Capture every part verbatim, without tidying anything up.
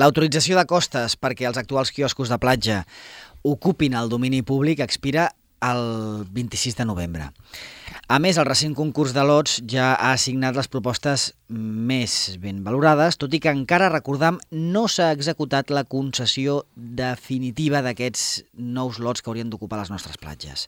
L'autorització de costes perquè els actuals quioscos de platja ocupin el domini públic expira el vint-i-sis de novembre. A més, el recent concurs de lots ja ha assignat les propostes més ben valorades, tot i que encara, recordam, no s'ha executat la concessió definitiva d'aquests nous lots que haurien d'ocupar les nostres platges.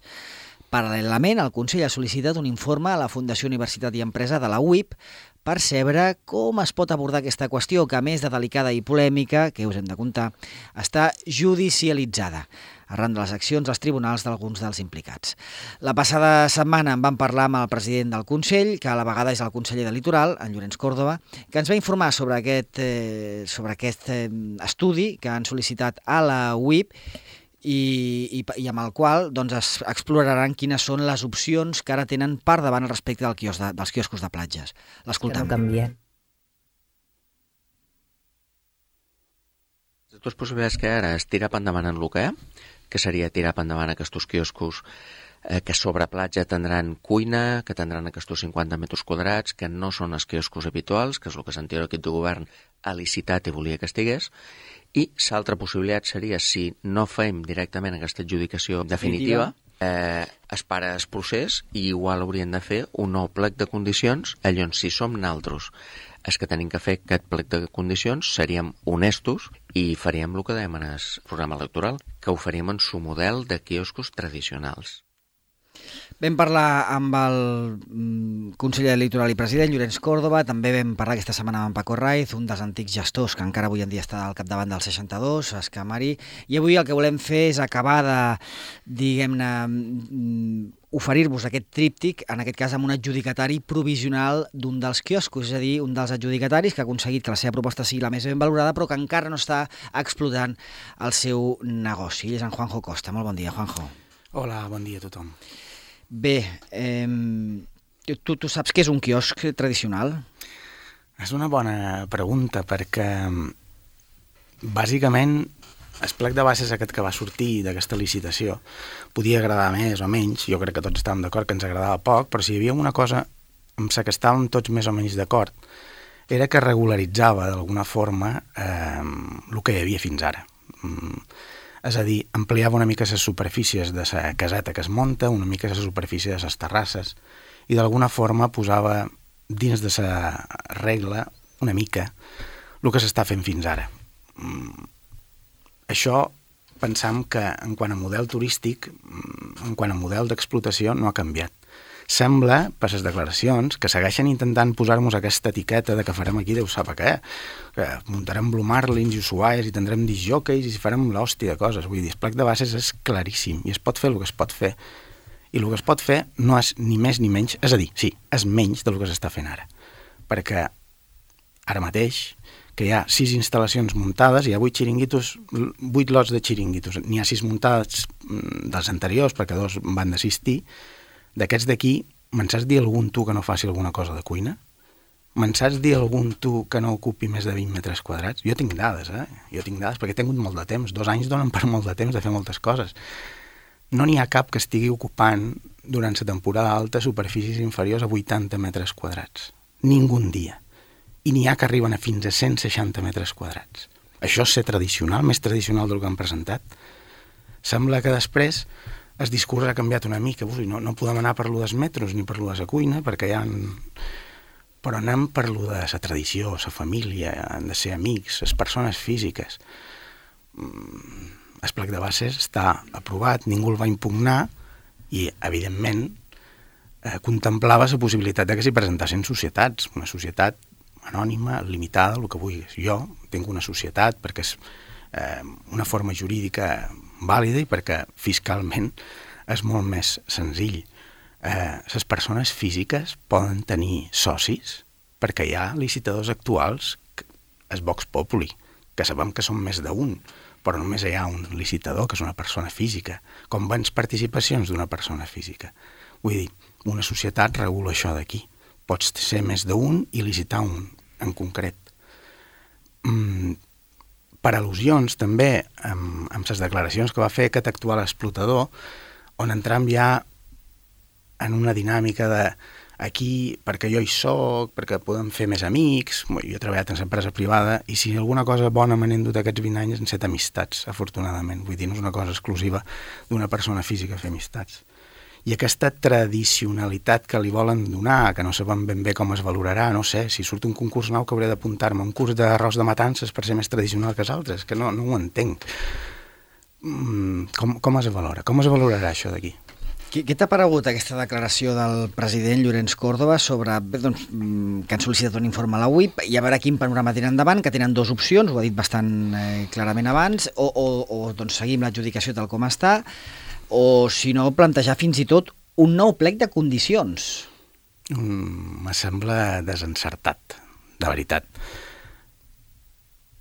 Paral·lelament, el Consell ha sol·licitat un informe a la Fundació Universitat i Empresa de la U I P per saber com es pot abordar aquesta qüestió, que a més de delicada i polèmica, que us hem de contar, està judicialitzada arran de les accions als tribunals d'alguns dels implicats. La passada setmana en vam parlar amb el president del Consell, que a la vegada és el conseller de Litoral, en Llorenç Còrdova, que ens va informar sobre aquest, eh, sobre aquest eh, estudi que han sol·licitat a la U I P i, i, i amb el qual doncs, es exploraran quines són les opcions que ara tenen per davant respecte del quios de, dels quioscos de platges. L'escoltem. Que no canvien. Les dues possibilitats que ara és tirar endavant en el que hi ha, que seria tirar endavant aquests quioscos eh, que sobre platja tindran cuina, que tindran aquests cinquanta metres quadrats, que no són els quioscos habituals, que és el que l'anterior equip de govern ha licitat i volia que estigués. I l'altra possibilitat seria, si no fem directament aquesta adjudicació definitiva, eh, es para el procés i igual haurien de fer un nou plec de condicions, allò si som naltros els que tenim que fer aquest plec de condicions, seríem honestos i faríem el que dèiem en el programa electoral, que ho faríem en su model de quioscos tradicionals. Vam parlar amb el conseller de Litoral i president, Llorenç Còrdova, també vam parlar aquesta setmana amb Paco Raiz, un dels antics gestors que encara avui en dia està al capdavant del seixanta-dos, Escamari, i avui el que volem fer és acabar de, diguem-ne, oferir-vos aquest tríptic, en aquest cas amb un adjudicatari provisional d'un dels quioscos, és a dir, un dels adjudicataris que ha aconseguit que la seva proposta sigui la més ben valorada, però que encara no està explotant el seu negoci. Ell és en Juanjo Costa. Molt bon dia, Juanjo. Hola, bon dia a tothom. Bé, eh, tu, tu saps què és un quiosc tradicional? És una bona pregunta perquè bàsicament el plec de bases aquest que va sortir d'aquesta licitació podia agradar més o menys, jo crec que tots estàvem d'acord que ens agradava poc, però si hi havia una cosa amb la que estàvem tots més o menys d'acord era que regularitzava d'alguna forma eh, el que hi havia fins ara. Mm. És a dir, ampliava una mica les superfícies de la caseta que es munta, una mica la superfície de les terrasses, i d'alguna forma posava dins de la regla una mica el que s'està fent fins ara. Això pensam que en quant a model turístic, en quant a model d'explotació, no ha canviat. Sembla, per les declaracions, que segueixen intentant posar-nos aquesta etiqueta de que farem aquí Déu sap què, que muntarem Blue Marlins i Ushuaies i tindrem disjòqueis i farem l'hòstia de coses. Vull dir, el plec de bases és claríssim i es pot fer el que es pot fer. I el que es pot fer no és ni més ni menys, és a dir, sí, és menys del que s'està fent ara. Perquè ara mateix, que hi ha sis instal·lacions muntades, hi ha vuit xiringuitos, vuit lots de xiringuitos. N'hi ha sis muntades dels anteriors, perquè dos van d'assistir. D'aquests d'aquí, me'n saps dir algun tu que no faci alguna cosa de cuina? Me'n saps dir algun tu que no ocupi més de vint metres quadrats? Jo tinc dades, eh? Jo tinc dades perquè he tingut molt de temps. Dos anys donen per molt de temps de fer moltes coses. No n'hi ha cap que estigui ocupant durant la temporada alta superfícies inferiors a vuitanta metres quadrats. Ningun dia. I n'hi ha que arriben a fins a cent seixanta metres quadrats. Això és ser tradicional, més tradicional del que han presentat. Sembla que després el discurs ha canviat una mica. Ui, no, no podem anar per lo dels metros ni per lo de la cuina, perquè hi ha... Però anem per lo de la tradició, la família, han de ser amics, les persones físiques. El plec de bases està aprovat, ningú el va impugnar i, evidentment, eh, contemplava la possibilitat de que s'hi presentassin societats, una societat anònima, limitada, el que vulguis. Jo tinc una societat perquè és eh, una forma jurídica vàlida i perquè fiscalment és molt més senzill. Eh, les persones físiques poden tenir socis perquè hi ha licitadors actuals, és Vox Populi, que sabem que són més d'un, però només hi ha un licitador, que és una persona física, com vens participacions d'una persona física. Vull dir, una societat regula això d'aquí. Pots ser més d'un i licitar un en concret. Mm, per al·lusions també amb, amb les declaracions que va fer aquest actual explotador, on entrem ja en una dinàmica de aquí perquè jo hi soc, perquè podem fer més amics, jo he treballat en l'empresa privada i si alguna cosa bona me n'he endut aquests vint anys han set amistats, afortunadament, vull dir, no és una cosa exclusiva d'una persona física fer amistats. I aquesta tradicionalitat que li volen donar, que no sabem ben bé com es valorarà, no sé, si surt un concurs nou que hauré d'apuntar-me, un curs d'arròs de matances per ser més tradicional que els altres, que no, no ho entenc. Mm, com, com es valora? Com es valorarà això d'aquí? Què, què t'ha paregut aquesta declaració del president Llorenç Córdoba sobre bé, doncs, que han sol·licitat un informe a la U I P i a veure quin panorama tenen endavant, que tenen dues opcions, ho ha dit bastant eh, clarament abans, o, o, o doncs, seguim l'adjudicació tal com està, o si no, plantejar fins i tot un nou plec de condicions. Mm, me sembla desencertat, de veritat.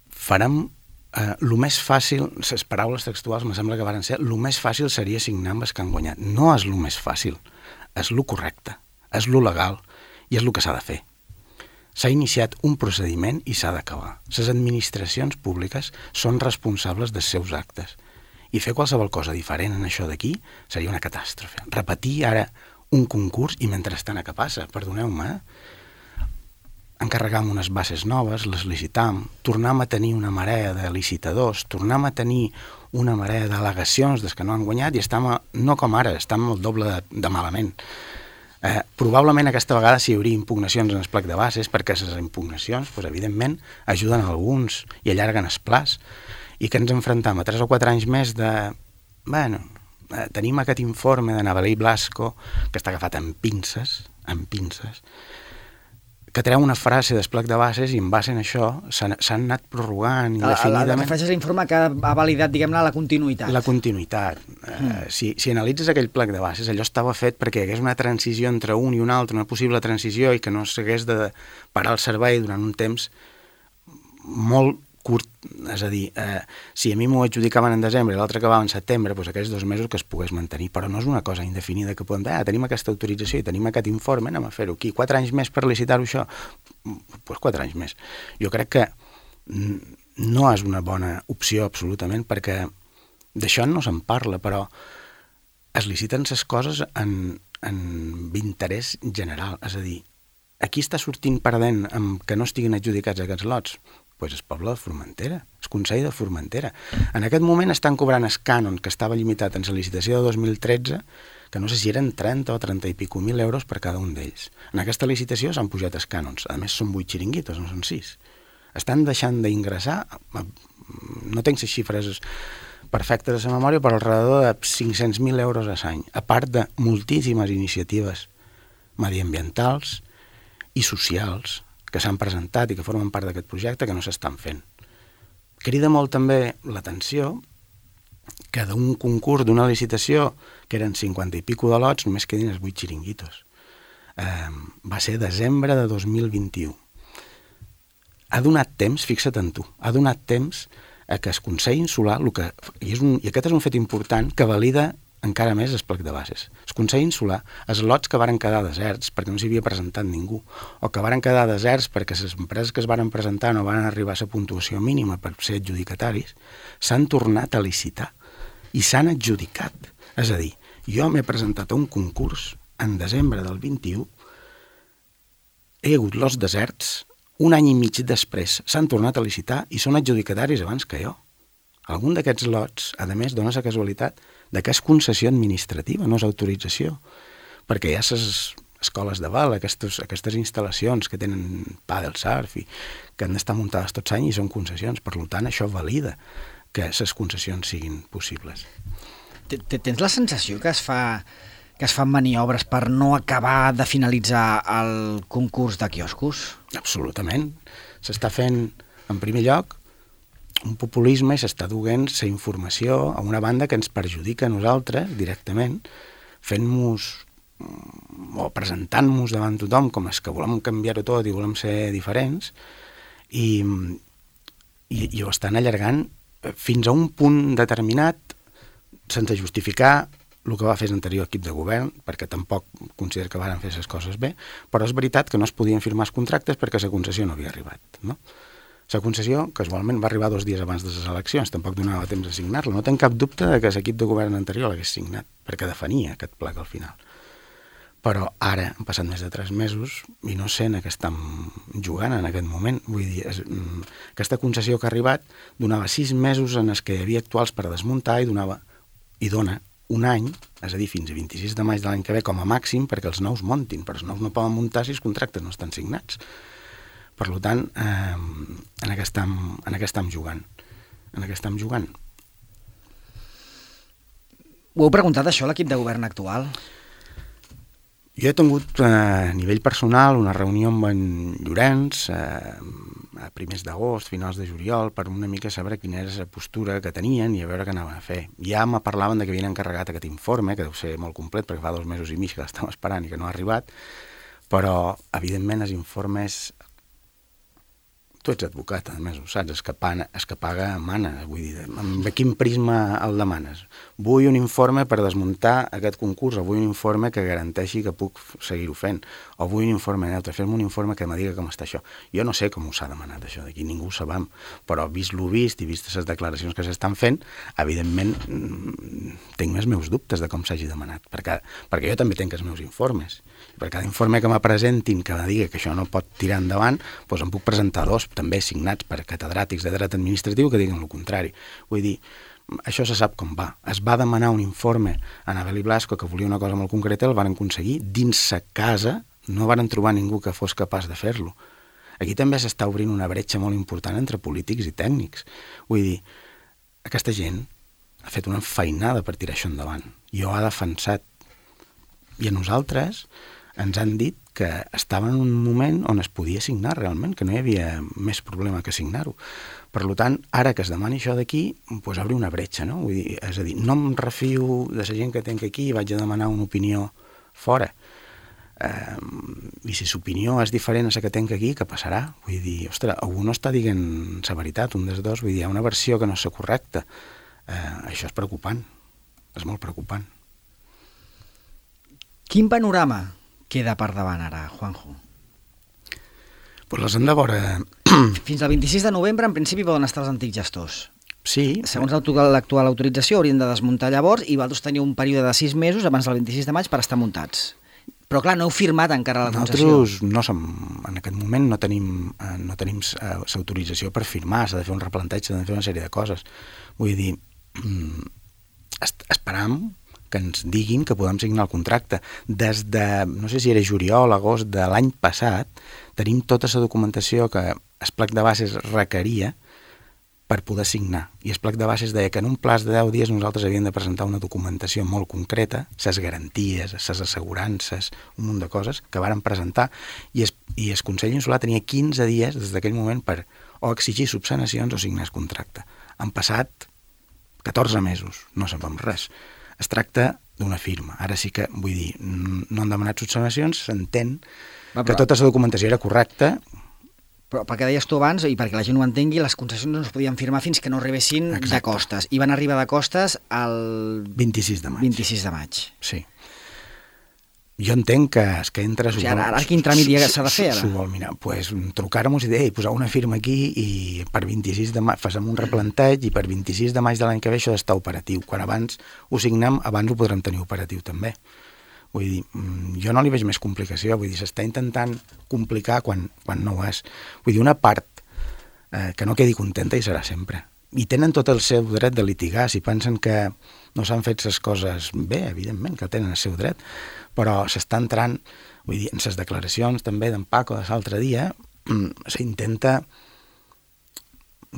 Farem... Uh, el més fàcil, les paraules textuals me sembla que varen ser, el més fàcil seria signar amb els que han guanyat. No és el més fàcil, és el correcte, és el legal i és el que s'ha de fer. S'ha iniciat un procediment i s'ha d'acabar. Les administracions públiques són responsables dels seus actes i fer qualsevol cosa diferent en això d'aquí seria una catàstrofe. Repetir ara un concurs i mentrestant a què passa, perdoneu-me, eh? encarregam unes bases noves, les licitam, tornam a tenir una marea de licitadors, tornam a tenir una marea d'al·legacions des que no han guanyat i estem, a, no com ara, estem el doble de, de malament. Eh, probablement aquesta vegada s'hi hauria impugnacions en el plec de bases, perquè les impugnacions, doncs, evidentment, ajuden a alguns i allarguen el plaç, i que ens enfrontam a tres o quatre anys més de... Bueno, eh, tenim aquest informe de Navalí Blasco, que està agafat amb pinces, amb pinces, que treu una frase del plec de bases i en base en això s'han anat prorrogant indefinidament. La referència a l'informe que ha validat, diguem-ne, la continuïtat. La continuïtat. Mm. Uh, si, si analitzes aquell plec de bases, allò estava fet perquè hi hagués una transició entre un i un altre, una possible transició, i que no s'hagués de parar el servei durant un temps molt curt. És a dir, eh, si a mi m'ho adjudicaven en desembre i l'altre acabava en setembre, doncs aquells dos mesos que es pogués mantenir, però no és una cosa indefinida que podem dir, ah, tenim aquesta autorització i tenim aquest informe, anem a fer-ho aquí, quatre anys més per licitar-ho això, doncs quatre anys més. Jo crec que no és una bona opció absolutament, perquè d'això no se'n parla, però es liciten les coses en, en interès general, és a dir, aquí està sortint perdent amb que no estiguin adjudicats aquests lots, doncs el poble de Formentera, el Consell de Formentera. En aquest moment estan cobrant el cànon que estava limitat en la licitació de dos mil tretze, que no sé si eren trenta o trenta i pico mil euros per cada un d'ells. En aquesta licitació s'han pujat els cànons, a més són vuit xiringuitos, no són sis. Estan deixant d'ingressar, no tinc les xifres perfectes a la memòria, però alrededor de cinc-cents mil euros a l'any, a part de moltíssimes iniciatives mediambientals i socials que s'han presentat i que formen part d'aquest projecte que no s'estan fent. Crida molt també l'atenció que d'un concurs, d'una licitació, que eren cinquanta i pico de lots, només quedin els vuit xiringuitos. Eh, va ser desembre de dos mil vint-i-u. Ha donat temps, fixa't en tu, ha donat temps a que el Consell Insular, el que, i, és un, i aquest és un fet important que valida encara més el plec de bases. El Consell Insular, els lots que varen quedar deserts perquè no s'hi havia presentat ningú, o que varen quedar deserts perquè les empreses que es varen presentar no van arribar a la puntuació mínima per ser adjudicataris, s'han tornat a licitar i s'han adjudicat. És a dir, jo m'he presentat a un concurs en desembre del vint-i-u, he hagut lots deserts, un any i mig després s'han tornat a licitar i són adjudicataris abans que jo. Algun d'aquests lots, a més, dona la casualitat de que és concessió administrativa, no és autorització, perquè hi ha les escoles de val, aquestes, aquestes instal·lacions que tenen pàdel, surf, i que han d'estar muntades tots anys i són concessions. Per tant, això valida que les concessions siguin possibles. Tens la sensació que es fa que es fan maniobres per no acabar de finalitzar el concurs de quioscos? Absolutament. S'està fent, en primer lloc, un populisme i s'està duent la informació a una banda que ens perjudica a nosaltres directament, fent-nos o presentant-nos davant tothom com és que volem canviar-ho tot i volem ser diferents, i, i, i ho estan allargant fins a un punt determinat sense justificar el que va fer l'anterior equip de govern, perquè tampoc considero que varen fer les coses bé, però és veritat que no es podien firmar els contractes perquè la concessió no havia arribat, no? La concessió, casualment, va arribar dos dies abans de les eleccions, tampoc donava temps de signar-la. No tenc cap dubte de que l'equip de govern anterior l'hagués signat, perquè defenia aquest plec al final. però ara han passat més de tres mesos i no sé en què estem jugant en aquest moment. Vull dir, és, aquesta concessió que ha arribat donava sis mesos en els que hi havia actuals per desmuntar i donava i dona un any, és a dir, fins a vint-i-sis de maig de l'any que ve com a màxim perquè els nous montin, però els nous no poden muntar si els contractes no estan signats. Per tant, eh, en què estem, en què estem jugant? En què estem jugant? Ho heu preguntat això a l'equip de govern actual? Jo he tingut eh, a nivell personal una reunió amb en Llorenç eh, a primers d'agost, finals de juliol, per una mica saber quina era la postura que tenien i a veure què anaven a fer. Ja me parlaven de que havien encarregat aquest informe, que deu ser molt complet perquè fa dos mesos i mig que l'estàvem esperant i que no ha arribat, però evidentment els informes... Tu ets advocat, a més, ho saps, és que, paga, és que paga mana, vull dir, amb quin prisma el demanes? Vull un informe per desmuntar aquest concurs, o vull un informe que garanteixi que puc seguir-ho fent, o vull un informe neutre, fem un informe que me diga com està això. Jo no sé com s'ha demanat això d'aquí, ningú ho sabem, però vist lo vist i vist les declaracions que s'estan fent, evidentment tinc més meus dubtes de com s'hagi demanat, perquè, perquè jo també tinc els meus informes. Per cada informe que me presentin que me digui que això no pot tirar endavant, doncs em puc presentar dos, també signats per catedràtics de dret administratiu que diguen el contrari. Vull dir, això se sap com va. Es va demanar un informe a Anabel i Blasco que volia una cosa molt concreta, el van aconseguir. Dins sa casa no van trobar ningú que fos capaç de fer-lo. Aquí també s'està obrint una bretxa molt important entre polítics i tècnics. Vull dir, aquesta gent ha fet una feinada per tirar això endavant. Jo ha defensat. I a nosaltres ens han dit que estava en un moment on es podia signar realment, que no hi havia més problema que signar-ho. Per tant, ara que es demani això d'aquí, doncs obre una bretxa, no? Vull dir, és a dir, no em refio de la gent que tinc aquí i vaig a demanar una opinió fora. Eh, I si l'opinió és diferent a la que tinc aquí, què passarà? Vull dir, ostres, algú no està dient la veritat, un dels dos, vull dir, hi ha una versió que no és correcta. Eh, això és preocupant, és molt preocupant. Quin panorama queda per davant ara, Juanjo? Pues les hem de veure... Fins al vint-i-sis de novembre, en principi, poden estar els antics gestors. Sí. Segons l'actual autorització, haurien de desmuntar llavors i vosaltres teniu un període de sis mesos abans del vint-i-sis de maig per estar muntats. Però, clar, no heu firmat encara la concessió. Nosaltres no som, en aquest moment no tenim, no tenim l'autorització per firmar, s'ha de fer un replanteig, s'ha de fer una sèrie de coses. Vull dir, esperam que ens diguin que podem signar el contracte. Des de, no sé si era juliol, agost de l'any passat, tenim tota la documentació que el plec de bases requeria per poder signar. I el plec de bases deia que en un plaç de deu dies nosaltres havíem de presentar una documentació molt concreta, ses garanties, ses assegurances, un munt de coses que varen presentar, i el, i el Consell Insular tenia quinze dies des d'aquell moment per o exigir subsanacions o signar el contracte. Han passat catorze mesos, no sabem res. Es tracta d'una firma. Ara sí que, vull dir, no han demanat subsanacions, s'entén que tota la documentació era correcta. Però perquè deies tu abans, i perquè la gent ho entengui, les concessions no es podien firmar fins que no arribessin de costes. I van arribar de costes el vint-i-sis de maig. vint-i-sis de maig. Sí. Jo entenc que és que entra... O sigui, ara, ara quin tràmit s'ha de fer, ara? S'ho vol mirar. Pues, trucar-nos i dir, posar una firma aquí i per vint-i-sis de maig fem un replanteig i per vint-i-sis de maig de l'any que ve això està operatiu. Quan abans ho signem, abans ho podrem tenir operatiu també. Vull dir, jo no li veig més complicació. Vull dir, s'està intentant complicar quan, quan no ho és. Vull dir, una part eh, que no quedi contenta hi serà sempre. I tenen tot el seu dret de litigar. Si pensen que no s'han fet les coses bé, evidentment que tenen el seu dret, però s'està entrant, vull dir, en les declaracions també d'en Paco de l'altre dia, s'intenta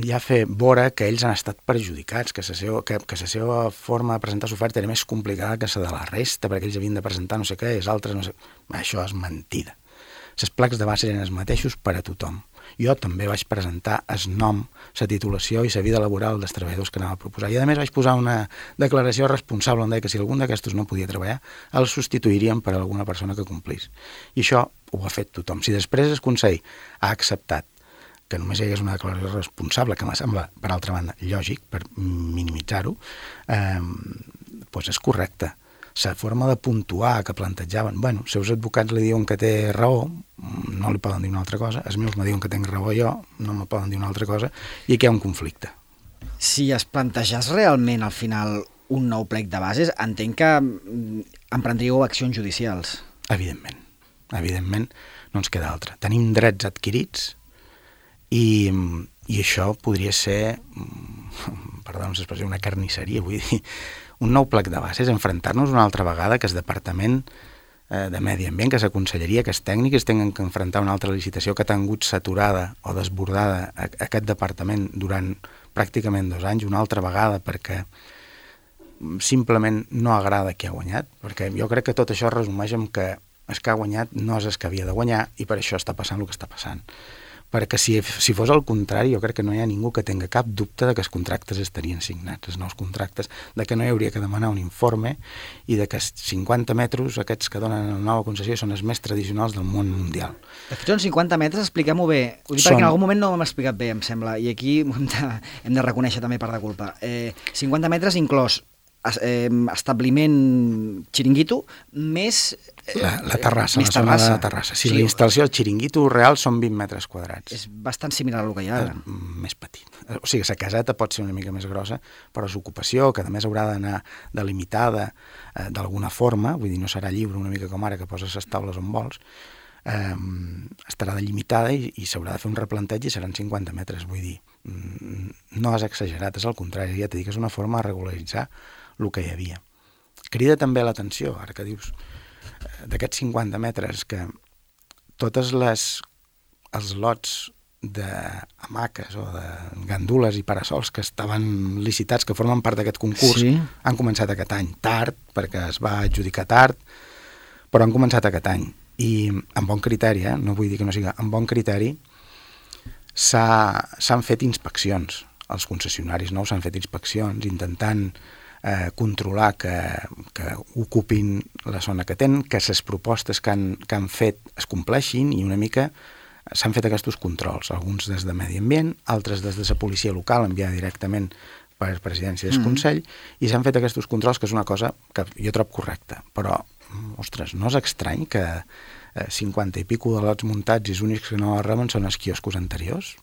ja fer veure que ells han estat perjudicats, que la seva, que, que la seva forma de presentar l'oferta era més complicada que la de la resta, perquè ells havien de presentar no sé què, els altres no sé... Això és mentida. Les plecs de base eren els mateixos per a tothom. Jo també vaig presentar el nom, la titulació i la vida laboral dels treballadors que anava a proposar. I a més vaig posar una declaració responsable on deia que si algun d'aquestos no podia treballar, el substituiríem per alguna persona que complís. I això ho ha fet tothom. Si després el Consell ha acceptat que només hi hagués una declaració responsable, que me sembla, per altra banda, lògic, per minimitzar-ho, eh, doncs és correcte. La forma de puntuar que plantejaven, bueno, si els advocats li diuen que té raó, no li poden dir una altra cosa, els meus me diuen que tenc raó jo, no me poden dir una altra cosa, i aquí hi ha un conflicte. Si es plantegés realment al final un nou plec de bases, entenc que emprendríeu accions judicials. Evidentment. Evidentment, no ens queda altra. Tenim drets adquirits i, i això podria ser, perdó, l'expressió, una carnisseria, vull dir, un nou plec de bases, enfrontar-nos una altra vegada que el Departament eh, de Medi Ambient, que la Conselleria, que els tècnics tinguin que enfrontar una altra licitació que ha tingut saturada o desbordada a, a aquest departament durant pràcticament dos anys, una altra vegada, perquè simplement no agrada qui ha guanyat, perquè jo crec que tot això es resumeix en que el que ha guanyat no és el que havia de guanyar i per això està passant el que està passant. Perquè si, si fos el contrari, jo crec que no hi ha ningú que tenga cap dubte de que els contractes estarien signats, els nous contractes, de que no hi hauria que demanar un informe i de que els cinquanta metres, aquests que donen la nova concessió, són els més tradicionals del món mundial. De fet, són cinquanta metres, expliquem-ho bé. Ho dic són... perquè en algun moment no ho hem explicat bé, em sembla, i aquí hem de, hem de reconèixer també part de culpa. Eh, cinquanta metres inclòs eh, establiment xiringuito més... Eh, la, la terrassa, més la zona terrassa. de terrassa. Sí, Sí, la instal·lació del xiringuito real són vint metres quadrats. És bastant similar al que hi ha ara. Eh, més petit. O sigui, la caseta pot ser una mica més grossa, però l'ocupació, que a més haurà d'anar delimitada eh, d'alguna forma, vull dir, no serà lliure una mica com ara que poses les taules on vols, eh, estarà delimitada i, i s'haurà de fer un replanteig i seran cinquanta metres, vull dir, no és exagerat, és al contrari, ja t'he dit que és una forma de regularitzar el que hi havia. Crida també l'atenció, ara que dius d'aquests cinquanta metres, que totes les els lots d'hamaques o de gandules i parasols que estaven licitats, que formen part d'aquest concurs, Sí. han començat aquest any, tard, perquè es va adjudicar tard, però han començat aquest any. I amb bon criteri, eh? No vull dir que no sigui, amb bon criteri, s'han fet inspeccions. Els concessionaris nous s'han fet inspeccions intentant eh, controlar que, que ocupin la zona que tenen, que les propostes que han, que han fet es compleixin i una mica s'han fet aquests controls, alguns des de Medi Ambient, altres des de la policia local enviada directament per presidència del Consell, mm. i s'han fet aquests controls, que és una cosa que jo trobo correcta. Però, ostres, no és estrany que eh, cinquanta i pico de lots muntats i els únics que no reben són els quioscos anteriors?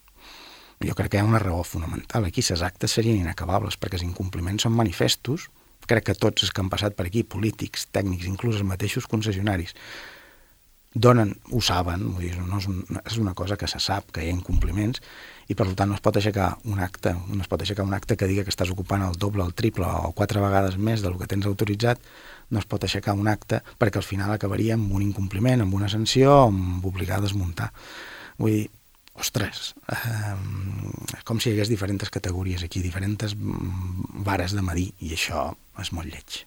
Jo crec que hi ha una raó fonamental. Aquí les actes serien inacabables, perquè els incompliments són manifestos. Crec que tots els que han passat per aquí, polítics, tècnics, inclús els mateixos concessionaris, donen, ho saben, vull dir, no és, un, és una cosa que se sap, que hi ha incompliments, i per tant no es pot aixecar un acte, no es pot aixecar un acte que diga que estàs ocupant el doble, el triple o quatre vegades més del que tens autoritzat, no es pot aixecar un acte perquè al final acabaria amb un incompliment, amb una sanció, amb obligar a desmuntar. Vull dir, ostres, eh, com si hi hagués diferents categories aquí, diferents vares de medir, i això és molt lleig.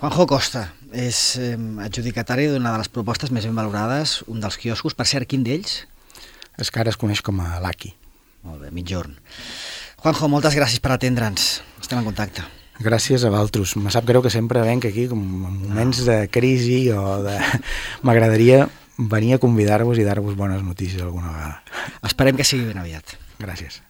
Juanjo Costa és eh, adjudicatari d'una de les propostes més ben valorades, un dels quioscos. Per cert, quin d'ells? És que ara es coneix com a l'Aki. Molt bé, mitjorn. Juanjo, moltes gràcies per atendre'ns. Estem en contacte. Gràcies a vosaltres. Me sap greu que sempre venc aquí com en moments de crisi o de... M'agradaria venir a convidar-vos i dar-vos bones notícies alguna vegada. Esperem que sigui ben aviat. Gràcies.